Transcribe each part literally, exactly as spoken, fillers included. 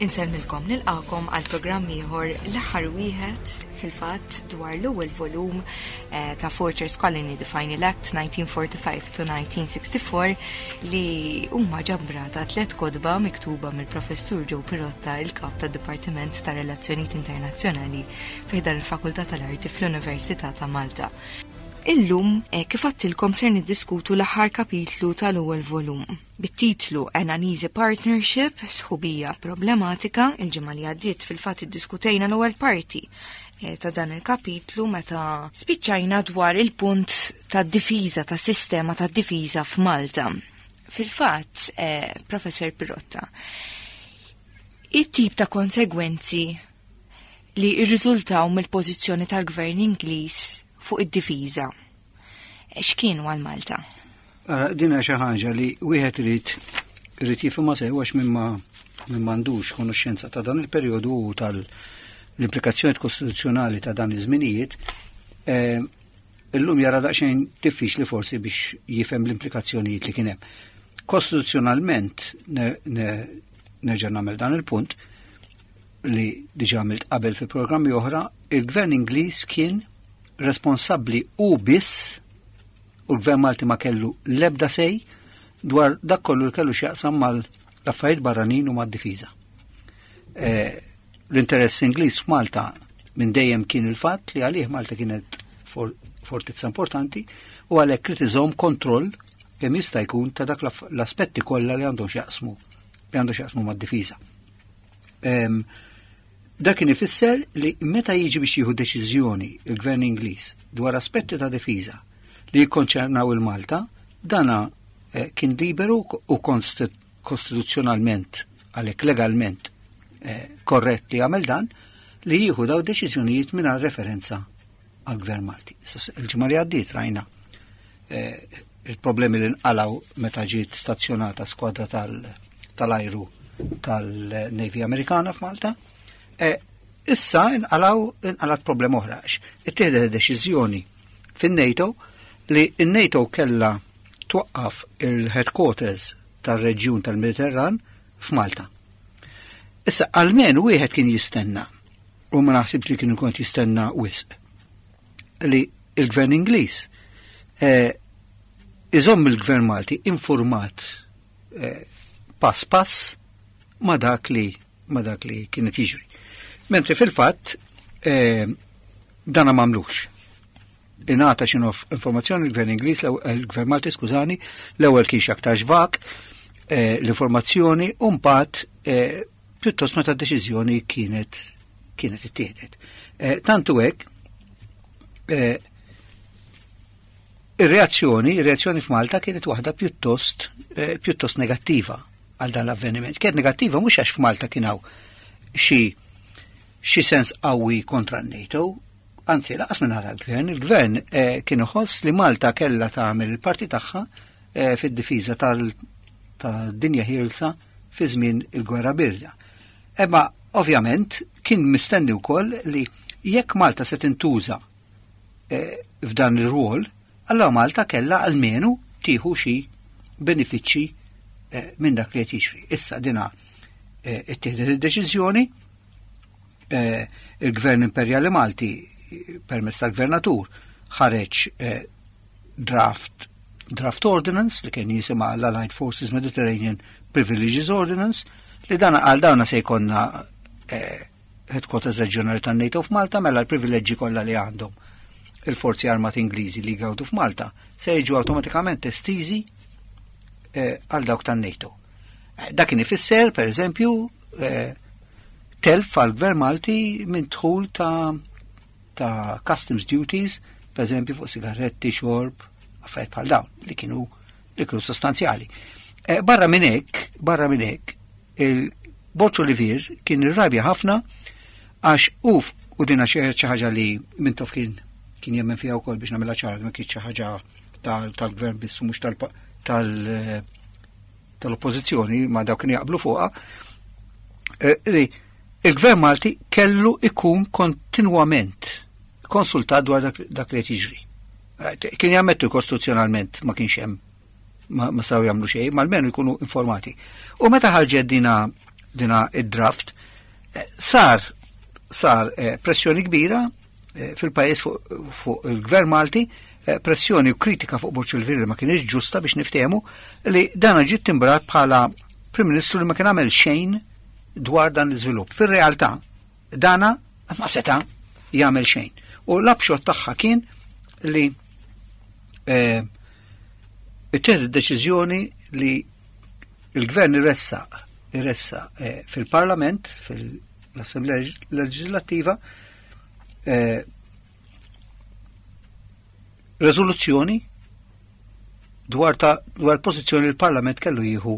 Insellmilkom, nilqagħkom għal programm ieħor, l-aħħar wieħed fil-fatt, dwar l-ewwel volum eh, ta' Fortress Colony: The Final Act nineteen forty-five to nineteen sixty-four, li huma ġabra ta' tliet kotba miktuba mill-Professur Joe Pirotta, il-kap tad-Dipartiment ta' Relazzjonijiet Internazzjonali fi ħdan il-Fakultà tal-Arti fl-Università ta' Malta. Illum, eh, kif għedtilkom, ser niddiskutu l-aħħar kapitlu tal-ewwel volum bit-titlu An Uneasy Partnership, sħubija problematika. Il-ġimgħa li għaddiet fil-fatt iddiskutejna l-ewwel parti eh, ta' dan il-kapitlu meta spiċċajna dwar il-punt ta' difiża, ta' sistema ta' difiża f'Malta. Fil-fatt, eh, Professor Pirotta, it-tip ta' konsegwenzi li irriżultaw mill-pożizzjoni tal-gvern Ingliż fuq id-difiża, x'kienu għal Malta? Ara, dina xi ħaġa li wieħed irid irid jifhimha sew, għax minn ma min m'għandux konoxxenza ta' dan il-perjodu u tal-implikazzjoni kostituzzjonali ta' dan iż-żminijiet, eh, illum jara daqsxejn diffiċli forsi biex jifhem l-implikazzjonijiet li kien hemm. Kostituzzjonalment, nerġa' nagħmel dan il-punt li diġà għamilt qabel fi programmi oħra, il-Gvern Ingliż kien responsabbli u biss u l-Gvern Malti ma kellu lebda say dwar dak kollu li kellu x'jaqsam mal-affarijiet barranin u mad-difiża. Eh, L-interess Ingliż f'Malta minn dejjem kien il-fatt li għalih Malta kienet for fortizza importanti u għalhekk irid iżomm kontroll kemm jista' jkun ta' dak l-aspetti kollha li għandhom x'jaqsmu li għandhom x'jaqsmu mad-difiża. Dak kien ifisser li meta jiġi biex jieħu deċiżjoni il-Gvern Ingliż dwar aspetti ta' difiża li jikkonċernaw il-Malta, dana eh, kien liberu u kostituzzjonalment, għalhekk legalment eh, korrett li jagħmel dan, li jieħu daw deċiżjonijiet mingħajr referenza għal-Gvern Malti. Il-ġimgħa li għaddiet rajna eh, il-problemi li nqalaw meta ġiet stazzjonata skwadra tal-ajru tal-Navy Amerikana f'Malta. Issa nqalaw inqalat problema oħra. Ittieħdet deċiżjoni fin-NATO li n-NATO kella twaqqaf il-headquarters tal-reġjun tal-Mediterran f'Malta. Issa, almenu wieħed kien jistenna, u ma naħsibx li kien ikun jistenna wisq, li il-gvern Ingliż eh, iżomm il-gvern Malti informat eh, pass pass ma dak li ma dak li kienet jiġri. Mentri fil-fatt eh, dana m'għamlux. Ingħata xi informazzjoni l-gvern Ingliż, il-gvern Malti, skużani, l-ewwel kien aktar vag eh, l-informazzjoni u mbagħad eh, pjuttost meta d-deċiżjoni kienet kienet ittieħdet. Eh, tantu hekk, ir-reazzjoni, ir-reazzjoni f'Malta kienet waħda pjuttost pjuttost negattiva għal dan l-avveniment. Kienet negattiva mhux għax f'Malta kien hawn xi xi sens qawwi kontra n-NATO, anzi lanqas minn l-gvern, il-gvern eh, kien iħoss li Malta kellha tagħmel il-parti tagħha eh, fid-difiża tal-dinja ħielsa fi żmien il-gwerra birda. Imma ovvjament kien mistenni wkoll li jekk Malta se tintuża eh, f'dan ir-rwol, allora Malta kellha almenu tieħu xi benefiċċji eh, minn dak li qed jiġri. Issa dina eh, ittieħdet id-deċiżjoni, eh, il-Gvern Imperjali Malti permezz tal-Gvernatur ħareġ eh, draft draft ordinance li kien jisimha l-Allied Forces Mediterranean Privileges Ordinance, li dana għal dawna se jkollna eh, headquarters reġjonali tan-NATO f'Malta, mela l-privileġġi kollha li għandhom il-forzi armati Ingliżi li jgawdu f'Malta se jiġu awtomatikament estiżi eh, għal dawk tan-NATO. Eh, dak kien ifisser, per eżempju, eh, telf għal gvern Malti minn dħul ta' ta' customs duties, per eżempju fuq sigaretti, xorb, affarijiet bħal dawn li kienu li kienu sostanzjali. Eh, barra minn hekk, barra minn hekk, il-Borg Olivier kien irrabja ħafna għax uf u dina xi ħaġa li Mintoff kien kien jemmen fiha wkoll, biex nagħmilha ċara, ma kienx xi ħaġa tal-gvern biss u mhux tal- tal-oppożizzjoni, ma dawk kienu jaqblu fuqha, eh, li il-gvern Malti kellu ikun kontinwament konsultat dwar dak, dak li qed jiġri. Eh, kien jammettu kostituzzjonalment ma kienx hemm ma, ma saw jagħmlu xejn, ma almenu jkunu informati. U meta ħarġet dina dina id-draft, eh, sar sar eh, pressjoni kbira eh, fil-pajjiż fuq fu il-Gvern Malti, eh, pressjoni u kritika fuq Borg Olivier li ma kienx ġusta biex niftehmu li dan ġiet timbrat bħala Prim Ministru li ma kien għamel xejn dwar dan l-iżvilupp. Fir-realtà, dana ma seta' jagħmel xejn. U l-upshot tagħha kien li eh, ittieħdet deċiżjoni li il-gvern iressaq iressaq eh, fil-Parlament, fil-Assemblea Leġislattiva, eh, rezoluzzjoni dwar ta' dwar pożizzjoni li l-Parlament kellu jieħu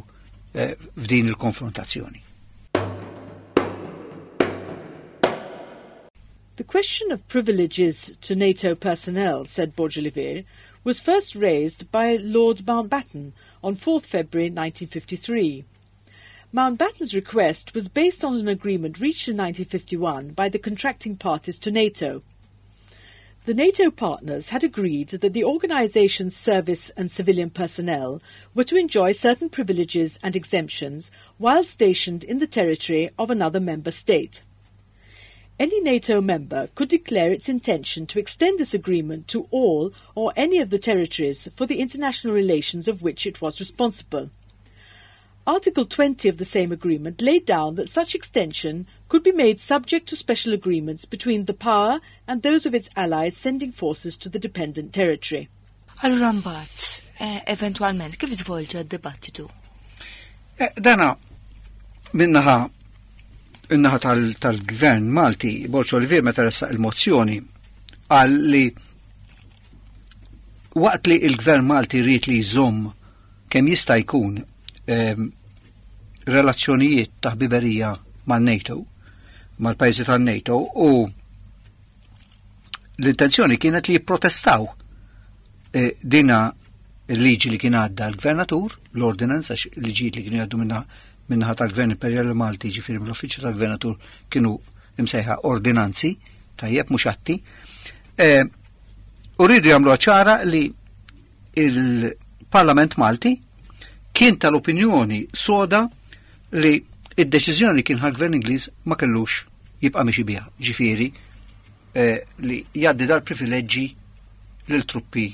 eh, f'din il-konfrontazzjoni. The question of privileges to NATO personnel, said Borg Olivier, was first raised by Lord Mountbatten on fourth February nineteen fifty-three. Mountbatten's request was based on an agreement reached in nineteen fifty-one by the contracting parties to NATO. The NATO partners had agreed that the organisation's service and civilian personnel were to enjoy certain privileges and exemptions while stationed in the territory of another member state. Any NATO member could declare its intention to extend this agreement to all or any of the territories for the international relations of which it was responsible. Article twenty of the same agreement laid down that such extension could be made subject to special agreements between the power and those of its allies sending forces to the dependent territory. Allura mbagħad, eh, eventwalment, kif żvolġa d-dibattitu? Eh, dana minnaħa in-naħa tal-gvern Malti, Borg Olivier meta ressaq il-mozzjoni qal li waqt li il-gvern Malti rrid li jżomm kemm jista' jkun ehm, relazzjonijiet ta' ħbiberija man-NATO, mal-pajjiżi tan-NATO, u l-intenzjoni kienet li jipprotestaw eh, dina il-liġi li kien għadda l-gvernatur, l-ordinance, għax liġijiet li kienu jgħaddu minna minnaħa tal-Gvern Imperjali Malti, ġifieri mill-Uffiċċju tal-Gvernatur, kienu imsejħa ordinanzi, tajjeb mhux atti. Eh, u rridu jagħmlu ċara li il-Parlament Malti kien tal-opinjoni soda li id-deċiżjoni kien ħal-Gvern Ingliż ma kellux jibqa' miexi biha, ġifieri, eh, li jgħaddi dal-privileġġi lil truppi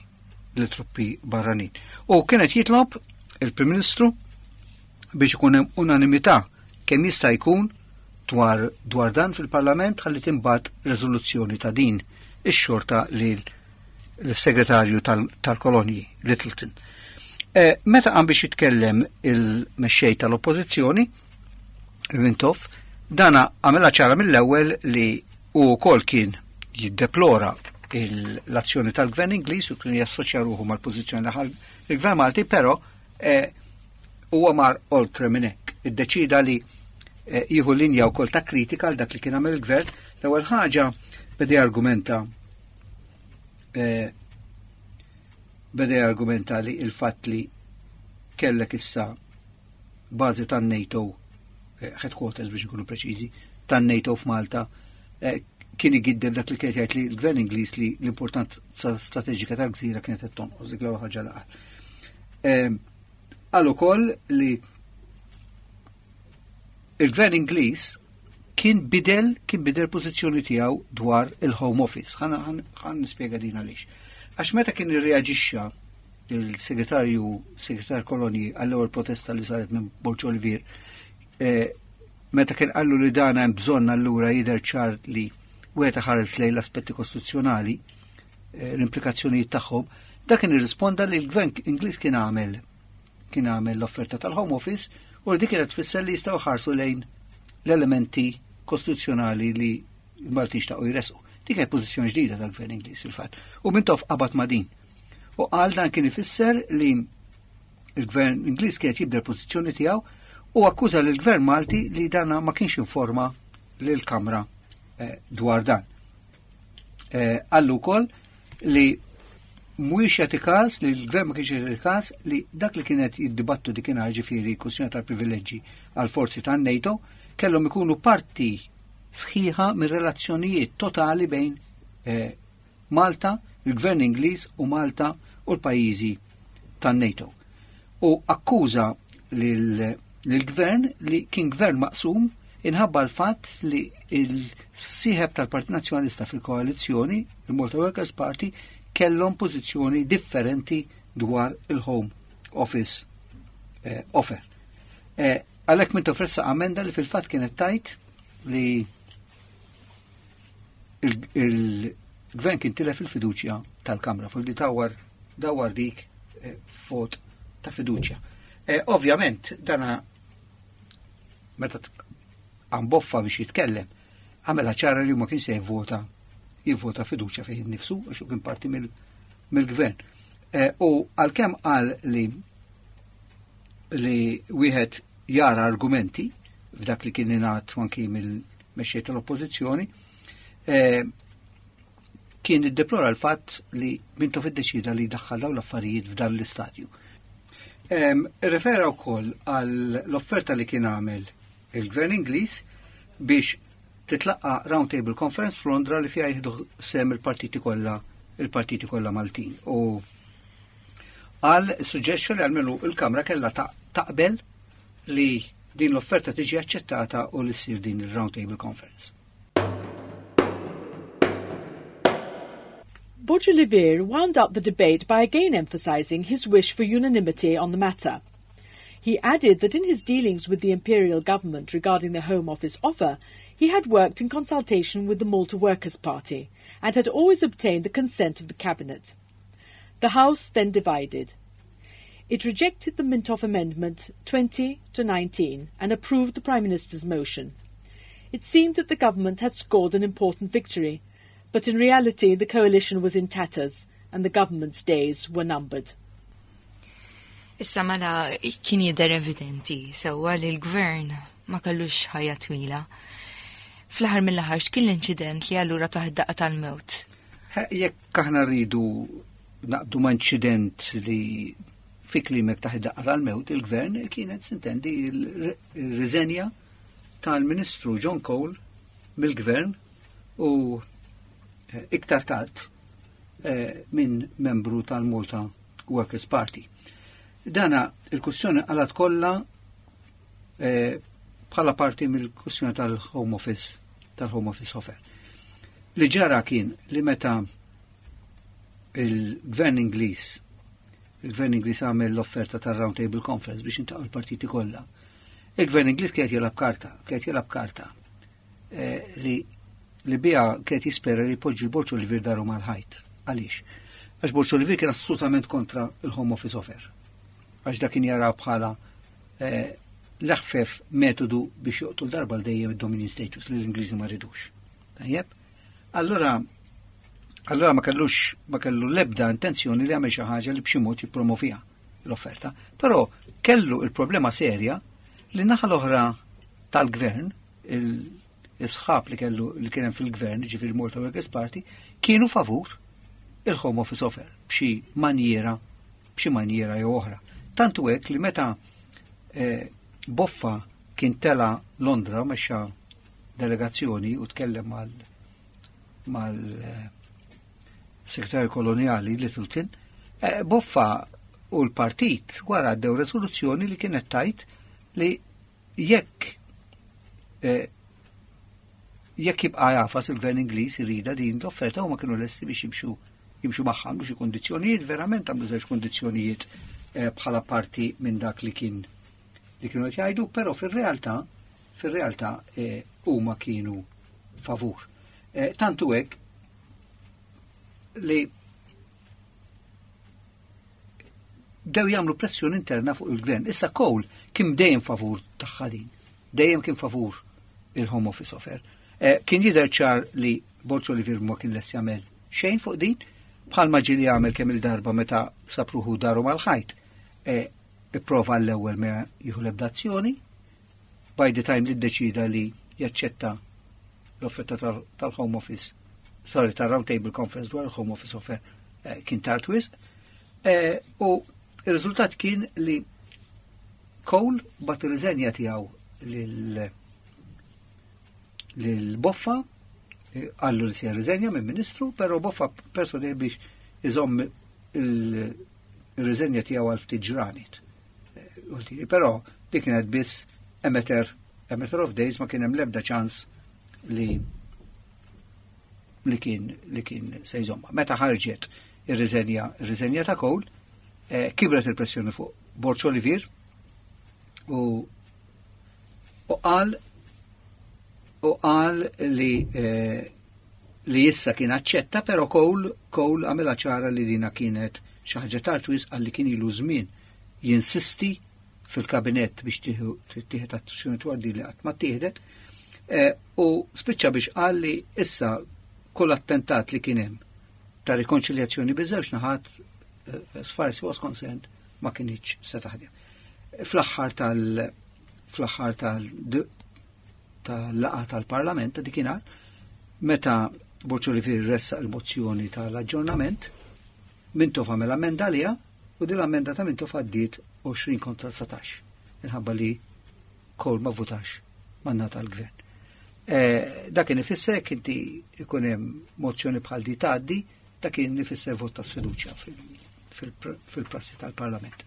lil truppi barranin. U kienet jitlob il-Prim Ministru biex ikun hemm unanimità kemm jista' jkun dwar, dwar dan fil-Parlament ħalli timbagħat riżoluzzjoni ta' din ix-xorta lil l-segretarju tal-kolonji Lyttelton. Eh, meta qam biex jitkellem il-mexxej tal-Oppożizzjoni, Mintoff, dana għamela ċara mill-ewwel li hu wkoll kien jiddeplora l-azzjoni tal-Gvern Ingliż u kien jassoċja ruħu mal-pożizzjoni li ħa il-Gvern Malti, però eh, huwa mar oltre minn hekk. Iddeċida li, eh, jieħu linja wkoll ta' kritika għal dak li kien għamel il-gvern. L-ewwel ħaġa beda argumenta, eh, beda argumenta li il-fatt li kellek issa bażi tan-NATO, eh, headquarters biex nkunu preċiżi, tan-NATO f'Malta, eh, kien igiddeb dak li kien jgħid li l-gvern Ingliż li l-importanza strateġika tal-gżira kienet qed tonqos, dik l-ewwel ħaġa li qal. Eh, qal ukoll li il-gvern Ingliż kien bidel, kien bidel pożizzjoni tiegħu dwar il-Home Office. Ħa, ħa, ħa nispjega din għaliex. Għax meta kien irreaġixxa il-segretarju, segretarju kolonji għall-ewwel protesta li saret minn Borg Olivier, eh, meta kien qallu li dan hemm bżonn allura jidher ċar li wieħed ħares lejn l-aspetti kostituzzjonali, eh, l-implikazzjonijiet tagħhom, dak kien irrisponda li l-gvern Ingliż kien għamel kien għamel l-offerta tal-Home Office u li dik kienet tfisser li jistgħu ħarsu lejn l-elementi kostituzzjonali li l-Maltin xtaqu jresqu. Dik kienet pożizzjoni ġdida tal-Gvern Ingliż fil-fatt. U Mintoff qabad ma' din. U qal dan kien ifisser li il-Gvern Ingliż kienet jibdel pożizzjoni tiegħu u akkuża lill-Gvern Malti li dana ma kienx informa lill-Kamra, eh, dwar dan. Eh, qallu wkoll li mhuwiex jagħti każ li l-gvern ma kienx jagħti każ li dak li kienet jiddibattu dik inhar, ġifieri kwistjoni tal-privileġġi għal forzi tan-NATO kellhom ikunu parti sħiħa mir-relazzjonijiet totali bejn, eh, Malta, il-Gvern Ingliż u Malta u l-pajjiżi tan-NATO. U akkuża lil lill-gvern li kien gvern maqsum inħabba l-fatt li il-sieħeb tal-Partit Nazzjonalista fil-koalizzjoni, il-Malta Workers Party, kellhom pożizzjoni differenti dwar il-Home Office eh, offer. Eh, Għalhekk Mintoff ressaq amenda li fil-fatt kienet tgħid li il-gvern kien tilef il-fiduċja tal-Kamra, fuq li dawar dawar dik eh, vot ta' fiduċja. Eh, ovvjament, dana meta qam Boffa biex jitkellem, għamela ċara li ma kien se jivvota jivvota fiduċja fih nifsu, għax kien parti mill-gvern. Eh, u għalkemm qal li li wieħed jara argumenti f'dak li kien ingħad anki mill-mexxej tal-oppożizzjoni, eh, kien iddeplora l-fatt li Mintoff iddeċida li daħħal dawn l-affarijiet f'dan l-istadju. Refera wkoll għall l-offerta li kien għamel il-Gvern Ingliż biex titlaqqa Round Table Conference f'Londra li fiha jieħdu sehem il-partiti kollha il-partiti kollha Maltin. U qal suġġerixxa li għalmenu il-Kamra kellha taqbel li din l-offerta tiġi aċċettata u li ssir din il-Round Table Conference. Borg Olivier wound up the debate by again emphasising his wish for unanimity on the matter. He added that in his dealings with the Imperial government regarding the Home Office offer, he had worked in consultation with the Malta Workers' Party and had always obtained the consent of the Cabinet. The House then divided. It rejected the Mintoff Amendment twenty to nineteen and approved the Prime Minister's motion. It seemed that the government had scored an important victory, but in reality the coalition was in tatters and the government's days were numbered. Issa mela kien jidher evidenti sewwa li l-gvern ma kellux ħajja twila. Fl-aħħar mill-aħħar x'kien l-inċident li allura tah id-daqqa tal-mewt? Jekk aħna rridu naqbdu ma' inċident li fi klimek tah id-daqqa tal-mewt, il-gvern kienet sintendi il-riżenja tal-Ministru John Cole mill-gvern u iktar tard minn membru tal-Malta Workers' Party. Dana il-kwestjoni għalat kollha bħala parti mill-kwestjoni tal-Home Office, tal-Home Office offer. Li ġara kien li meta il-Gvern Ingliż, il-Gvern Ingliż għamel l-offerta tal-Round Table Conference biex jiltaqgħu l-partiti kollha. Il-Gvern Ingliż kienet jilgħab karta, kienet jilgħab karta li li bija kienet jispera li jpoġġi Borg Olivier daru mal-ħajt. Għaliex? Għax Borg Olivier kien assolutament kontra il-Home Office offer. Għax dak kien jara bħala l-aħfef metodu biex joqtol darba l dejjem id-dominion status li l-Ingliżi ma ridux. Tajjeb? Allora, allora ma kellux, ma kellu l-ebda intenzjoni li għamel xi ħaġa li b'xi mod jippromovija l-offerta. Però kellu il-problema serja li naħa l-oħra tal-gvern, il-sħab li kellu li kien hemm fil-gvern, ġifieri Malta Workers' Party, kienu favur il-Home Office offer b'xi manjiera, b'xi manjiera jew oħra. Tantu hekk li meta eh, Boffa kien tela Londra mexxa delegazzjoni u tkellem mal mal eh, segretarju koloniali Littleton, eh, Boffa u l-partit wara għaddew rezoluzzjoni li kienet tgħid li jekk eh, jekk jibqa' jafas il-gvern Ingliż irida din l-offerta huma kienu lesti biex jimxu jimxu magħha, għamlu xi kundizzjonijiet, verament għamlu żewġ kundizzjonijiet eh, bħala parti minn dak li kien li kienu qed jgħidu, però fir-realtà fir-realtà eh, huma kienu favur. Eh, tantu hekk li bdew jagħmlu pressjoni interna fuq il-gvern. Issa Cole kien dejjem favur tagħha din, dejjem kien favur il-Home Office offer. Eh, kien jidher ċar li Borg Olivier ma kien lest jagħmel xejn fuq din, bħalma ġieli jagħmel kemm il-darba meta sapruħu daru mal-ħajt. Eh, ipprova l-ewwel ma jieħu l-ebda azzjoni, by the time li ddeċida li jaċċetta l-offerta tal-, tal-Home Office, sorry, tal-Round Table Conference dwar il-Home Office offer, eh, kien tard wisq. Eh, u il-riżultat kien li Cole bat ir-riżenja tiegħu lil lil Boffa, eh, qallu li se jirriżenja minn ministru, però Boffa personi biex iżomm il-riżenja tiegħu għal ftit ġranet. Eh, però Li kienet biss a matter, a matter of days, ma kien hemm l-ebda ċans li li kien li kien se jżomma. Meta ħarġet ir-riżenja ir-riżenja ta' Cole, eh, kibret il-pressjoni fuq Borg Olivier u u qal u qal li eh, li issa kien aċċetta, però Cole Cole għamilha ċara li dina kienet xi ħaġa tard wisq, għalli kien ilu żmien jinsisti fil-kabinett biex tieħed azzjoni dwar din li qatt ma tieħdet, eh, u spiċċa biex qal li issa kull attentat li kien hemm ta' rikonċiljazzjoni biż-żewġ naħat, eh, as far as he was concerned, ma kinitx se taħdem. Fl-aħħar tal fl-aħħar tal tal-laqgħa tal-Parlament ta' dikinhar, meta Borg Olivier ressaq il-mozzjoni tal-aġġornament, Mintoff għamel ammenda għaliha u din l-ammenda ta' Mintoff għaddiet għoxrin kontra dsatax, minħabba li Cole ma votax man-naħa tal-gvern. Eh, dak kien ifisser jekk inti ikun hemm mozzjoni bħal di tgħaddi, dak kien ifisser vot ta' sfiduċja fil-prassi tal-Parlament.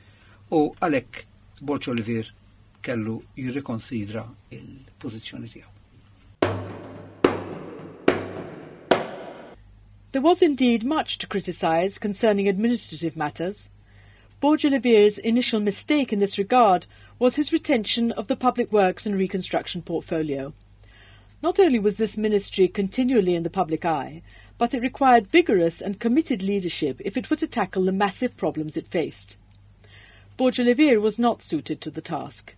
U għalhekk Borg Olivier kellu jirrikonsidra il-pożizzjoni tiegħu. There was indeed much to criticise concerning administrative matters. Borg Olivier's initial mistake in this regard was his retention of the Public Works and Reconstruction portfolio. Not only was this ministry continually in the public eye, but it required vigorous and committed leadership if it were to tackle the massive problems it faced. Borg Olivier was not suited to the task.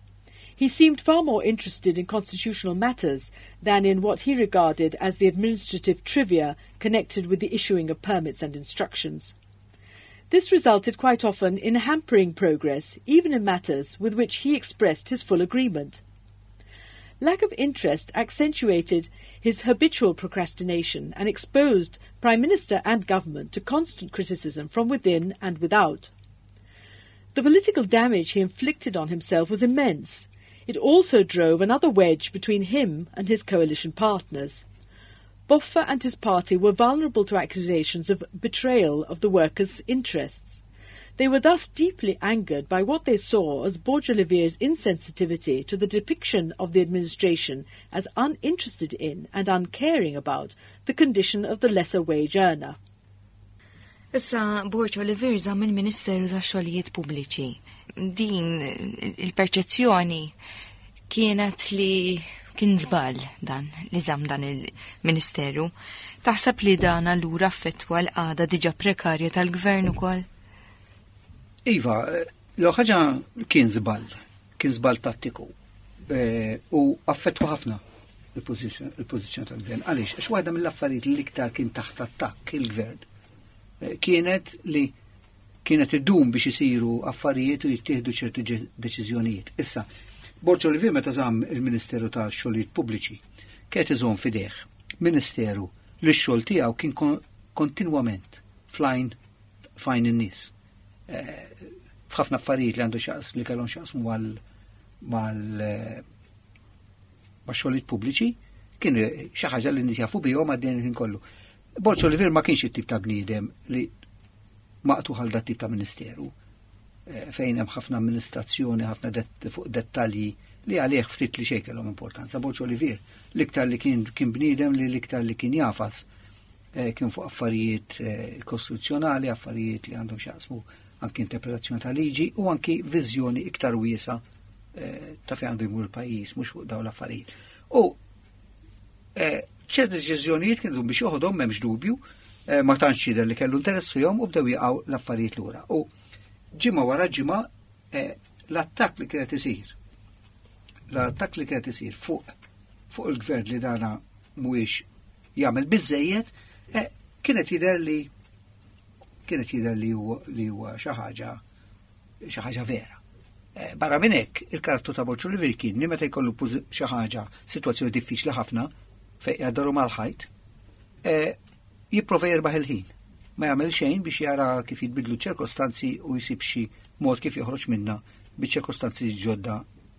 He seemed far more interested in constitutional matters than in what he regarded as the administrative trivia connected with the issuing of permits and instructions. This resulted quite often in hampering progress, even in matters with which he expressed his full agreement. Lack of interest accentuated his habitual procrastination and exposed Prime Minister and government to constant criticism from within and without. The political damage he inflicted on himself was immense. It also drove another wedge between him and his coalition partners. Boffa and his party were vulnerable to accusations of betrayal of the workers' interests. They were thus deeply angered by what they saw as Borg Olivier's insensitivity to the depiction of the administration as uninterested in and uncaring about the condition of the lesser wage earner. Issa Borg Olivier żamm il-Ministeru tax-Xogħlijiet Pubbliċi. Din il-perċezzjoni kienet li kien żball dan li żamm dan il-Ministeru. Taħseb li dan allura affettwa l-qagħda diġà prekarja tal-gvern ukoll? Iva, l ħaġa kien żball, kien żball tattiku. E, u affettwa ħafna il-pożizzjoni tal-gvern. Għaliex? Għax waħda mill-affarijiet li l-iktar kien taħt attakk il-gvern e, kienet li kienet iddum biex isiru affarijiet u jittieħdu ċertu deċiżjonijiet. Issa, Borg Olivier meta żamm il-Ministeru tax-Xogħlijiet Pubbliċi, kienet iżomm fideh ministeru li x-xogħol tiegħu kien kontinwament flajn fajn in-nies. F'ħafna affarijiet li għandu xaqs li kellhom xaqsmu mal ma' xogħlijiet pubbliċi, kien xi ħaġa li nies jafu bihom għaddejn il-ħin kollu. Borg Olivier ma kienx it-tip ta' bniedem li maqtu għal dat tip ta' ministeru, fejn hemm ħafna amministrazzjoni, ħafna det-, fuq dettalji li għalih ftit li xejn kellhom importanza. Borg Olivier l-iktar li kien, kien bniedem li l-iktar li kien jafas, eh, kien fuq affarijiet, eh, kostituzzjonali, affarijiet li għandhom x'jaqsmu anki interpretazzjoni ta' liġi u anki viżjoni iktar wiesa, eh, ta' fejn għandu jmur il-pajjiż, mhux fuq dawn l-affarijiet. U, eh, ċerti deċiżjonijiet kienu biex joħodhom m'hemmx dubju, eh, ma tantx jidher li kellu interess fihom u bdew jaqgħu l-affarijiet lura. U ġimgħa wara ġimgħa, eh, l-attakk li kienet isir, l-attakk li kienet isir fuq, fuq il-gvern li dana mhuwiex jagħmel biżejjed, eh, kienet jidher li kienet jidher li huwa, li huwa xi ħaġa, xi ħaġa vera. Eh, barra minn hekk, il-karattru ta' Borg Olivier kien li meta jkollu pożi-, xi ħaġa, sitwazzjoni diffiċli ħafna fejn jgħaddaru mal-ħajt, eh, jipprova jirbaħ il-ħin. Ma jagħmel xejn biex jara kif jitbidlu ċirkostanzi u jsib xi mod kif joħroġ minna biex ċirkostanzi ġodda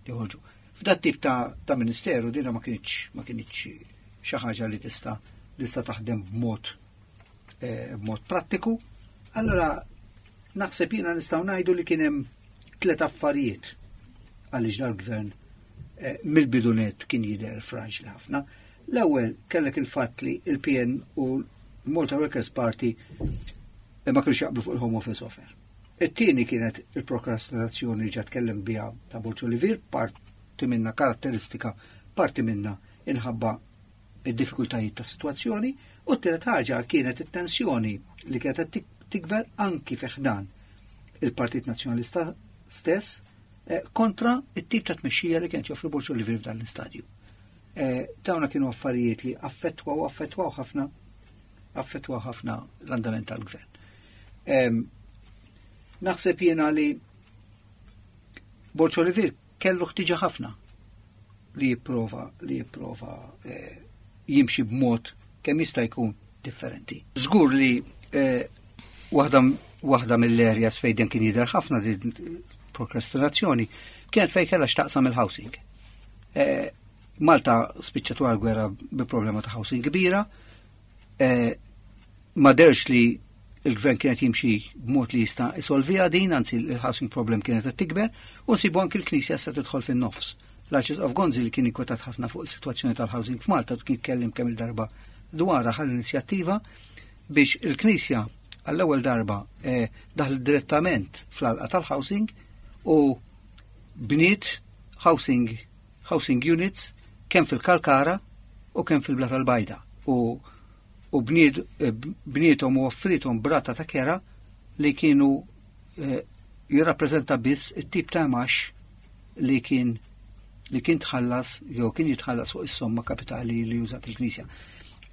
joħorġu. F'dat tip ta', ta' ministeru dina ma kienx, ma kienx xi ħaġa li tista' li tista' taħdem b'mod, eh, b'mod prattiku. Allora naħseb jiena nistgħu ngħidu li kien hemm tliet affarijiet għaliex dal-gvern eh, mill-bidu nett kien jidher fraġli ħafna. L-ewwel kellek il-fatt li il-P N u l-Malta Workers Party eh, ma kienux jaqblu fuq il-Home Office offer. It-tieni kienet il-prokrastinazzjoni li ġa tkellem biha ta' Borg Olivier, parti minna karatteristika, parti minna inħabba id-diffikultajiet ta' situazzjoni, u t-tielet ħaġa kienet it-tensjoni li kienet tikber anki fi ħdan il-Partit Nazzjonalista stess eh, kontra it-tip ta' tmexxija li kienet joffri Borg Olivier f'dan l-istadju. Eh, dawna kienu affarijiet li affettwaw affettwaw ħafna affettwaw ħafna l-andament tal-gvern. Naħseb jiena li Borg Olivier kellu ħtiġa ħafna li jipprova li jipprova eh, jimxi b'mod kemm jista' jkun differenti. Żgur li eh, waħda waħda mill-areas fejn kien jidher ħafna din prokrastinazzjoni kienet fejn kellha x'taqsam il-housing. Eh, Malta spiċċat wara l-gwerra bi problema ta' housing kbira, eh, ma deherx li il-gvern kienet jimxi b'mod li jista' isolviha din, anzi il-housing problem kienet qed tikber, u nsibu anki l-Knisja se tidħol fin-nofs. L-Arċisqof Gonzi, li kien inkwetat ħafna fuq is-sitwazzjoni tal-housing f'Malta, kien kellim kemm il-darba dwar ħa l-inizjattiva biex il-Knisja għall-ewwel darba eh, daħl direttament fl-għalqa tal-housing u bniet housing housing units kemm fil-Kalkara u kemm fil-Blata l-Bajda u u eh, bnietom u offrithom b'rata ta' kera li kienu eh, jirrappreżenta biss it-tip ta' imgħax li kien li kien tħallas jew kien jitħallas fuq is-somma kapitali li użat il-Knisja.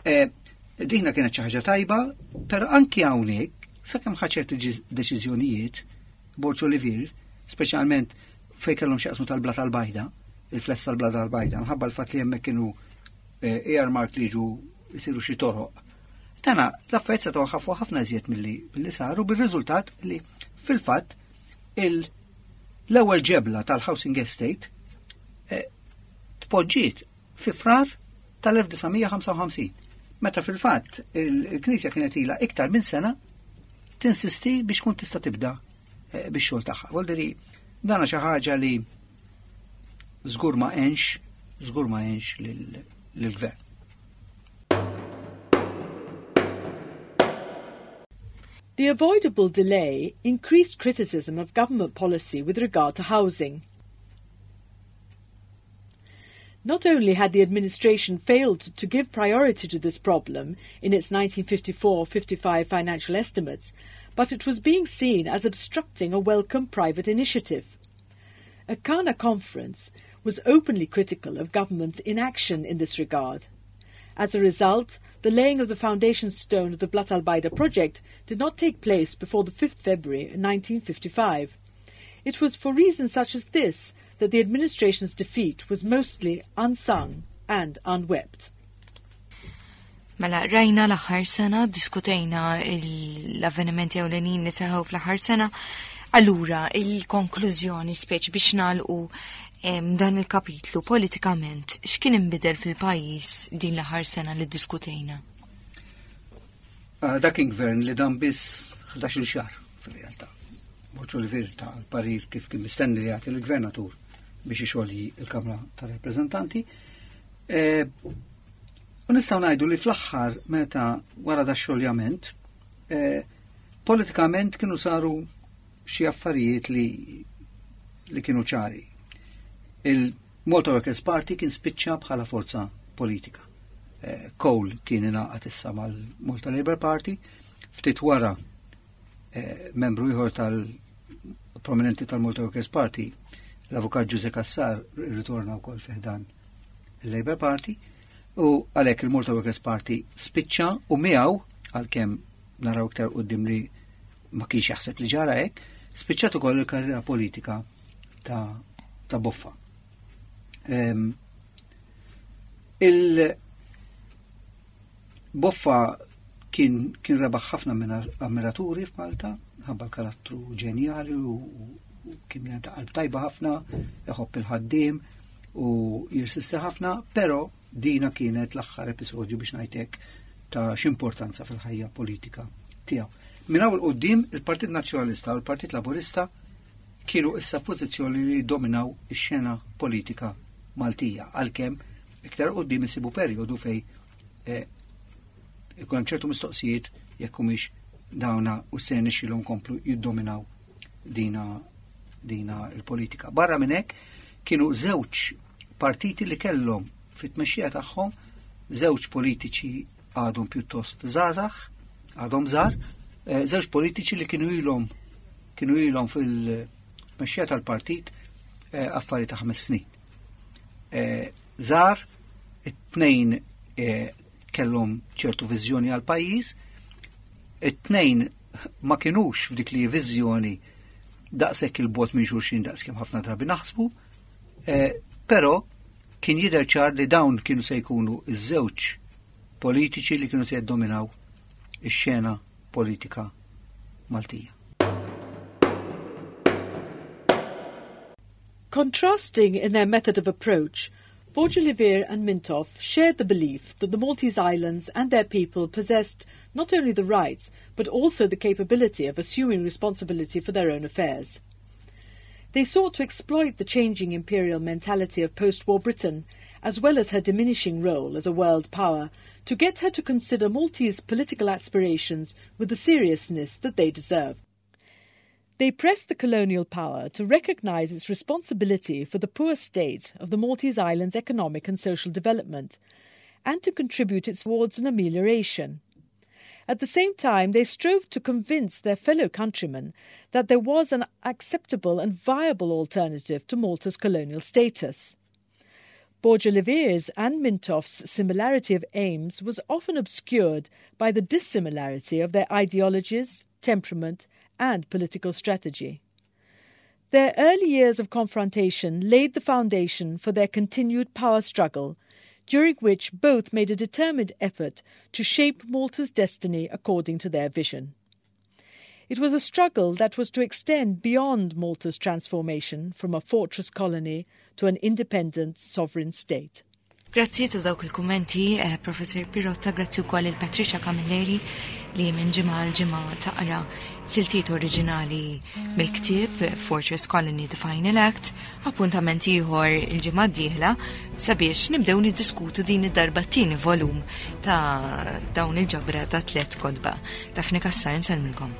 Eh, dina kienet xi ħaġa tajba, però anki hawnhekk sakemm ħa ċerti deċiżjonijiet Borg Olivier, speċjalment fejn kellhom x'jaqsmu tal-Blata l-Bajda, il-flats tal-Blata l-Bajda, nħabba l-fatt li hemmhekk kienu earmark li ġu jisiru xi toroq. Tana, l-affarijiet setgħu ħafu ħafna iżjed milli milli saru, bir-riżultat li fil-fatt l-ewwel ġebla tal-housing estate eh, tpoġġiet fi Frar tal-elf disa' mija ħamsa u ħamsin. Meta fil-fatt il-Knisja kienet ilha iktar minn sena tinsisti biex kun tista' tibda eh, biex xogħol tagħha. Voldiri, dana xi ħaġa li żgur ma għenx, żgur ma għenx lill-gvern. The avoidable delay increased criticism of government policy with regard to housing. Not only had the administration failed to give priority to this problem in its nineteen fifty-four fifty-five financial estimates, but it was being seen as obstructing a welcome private initiative. A Kana conference was openly critical of government's inaction in this regard. As a result, the laying of the foundation stone of the Blata l-Bajda project did not take place before the fifth February nineteen fifty-five. It was for reasons such as this that the administration's defeat was mostly unsung and unwept. Mela, rajna l-aħħar sena, diskutejna l-avvenimenti ewlenin li seħħu fl-aħħar sena. Allura, il-konklużjoni, speċi biex nagħlqu dan il-kapitlu politikament, x'kien inbidel fil-pajjiż din l-aħħar sena li diskutejna? Ah, dak kien gvern li dam biss ħdax-il xahar fil-realtà. Borg Olivier ta l-parir kif kien mistenni li jagħti l-gvernatur biex ixolji il-Kamra tar-Rappreżentanti. E, u nistgħu ngħidu li fl-aħħar, meta wara da xoljament, e, politikament kienu saru xi affarijiet li li kienu ċari. Il-Malta Workers' Party kien spiċċa bħala forza politika. Eh, Cole kien ingħaqad issa mal-Malta Labour Party, ftit wara eh, membru ieħor tal-prominenti tal-Malta Workers' Party, l-avukat Ġużè Cassar, ritorna wkoll fi ħdan il-Labour Party, u għalhekk il-Malta Workers' Party spiċċa u miegħu, għalkemm naraw iktar quddiem li ma kienx jaħseb li ġara hekk, spiċċat ukoll il-karriera politika ta', ta Boffa. Um, il Boffa kien, kien rebaħ ħafna minn ammiraturi f'Malta, ħabba l-karattru ġenjali u, u kien ta' qalb tajba ħafna, iħobb il-ħaddiem u jirsisti ħafna, però dina kienet l-aħħar episodju, biex ngħidlek, ta' x'importanza fil-ħajja politika tiegħu. Minn hawn 'il quddiem il-Partit Nazzjonalista u l-Partit Laburista kienu issa f'pożizzjoni li dominaw ix-xena politika Maltija, għalkemm iktar quddiem isibu perjodu fej eh, ikun hemm ċertu mistoqsijiet jekk humiex dawna u se nixilhom komplu jiddominaw dina dina il-politika. Barra minn hekk kienu żewġ partiti li kellhom fit-tmexxija tagħhom żewġ politiċi għadhom pjuttost żgħażagħ, għadhom żgħar, eh, żewġ politiċi li kienu ilhom kienu ilhom fil-tmexxija tal-partit eh, affari ta' ħames snin. Eh, żgħar, it-tnejn kellhom ċertu viżjoni għal pajjiż, it-tnejn ma kinux f'dik li viżjoni daqshekk il-bogħod minn xulxin daqskemm ħafna drabi naħsbu, però kien jidher ċar li dawn kienu se jkunu iż-żewġ politiċi li kienu se jiddominaw ix-xena politika Maltija. Contrasting in their method of approach, Borg Olivier and Mintoff shared the belief that the Maltese Islands and their people possessed not only the right, but also the capability of assuming responsibility for their own affairs. They sought to exploit the changing imperial mentality of post-war Britain, as well as her diminishing role as a world power, to get her to consider Maltese political aspirations with the seriousness that they deserve. They pressed the colonial power to recognise its responsibility for the poor state of the Maltese Islands' economic and social development, and to contribute its towards an amelioration. At the same time, they strove to convince their fellow countrymen that there was an acceptable and viable alternative to Malta's colonial status. Borg Olivier's and Mintoff's similarity of aims was often obscured by the dissimilarity of their ideologies, temperament, and political strategy. Their early years of confrontation laid the foundation for their continued power struggle, during which both made a determined effort to shape Malta's destiny according to their vision. It was a struggle that was to extend beyond Malta's transformation from a fortress colony to an independent sovereign state. Grazzi ta' dawk il-kummenti, eh, Professor Pirotta, grazzi wkoll il-Patricia Camilleri li minn ġimgħa għal ġimgħa taqra siltiet oriġinali mill-ktieb Fortress Colony The Final Act, appuntament ieħor il-ġimgħa d-dieħla sabiex nibdew niddiskutu din id-darba t-tieni volum ta' dawn il-ġabra ta' tliet kotba. Daphne Cassar nsellmilkom.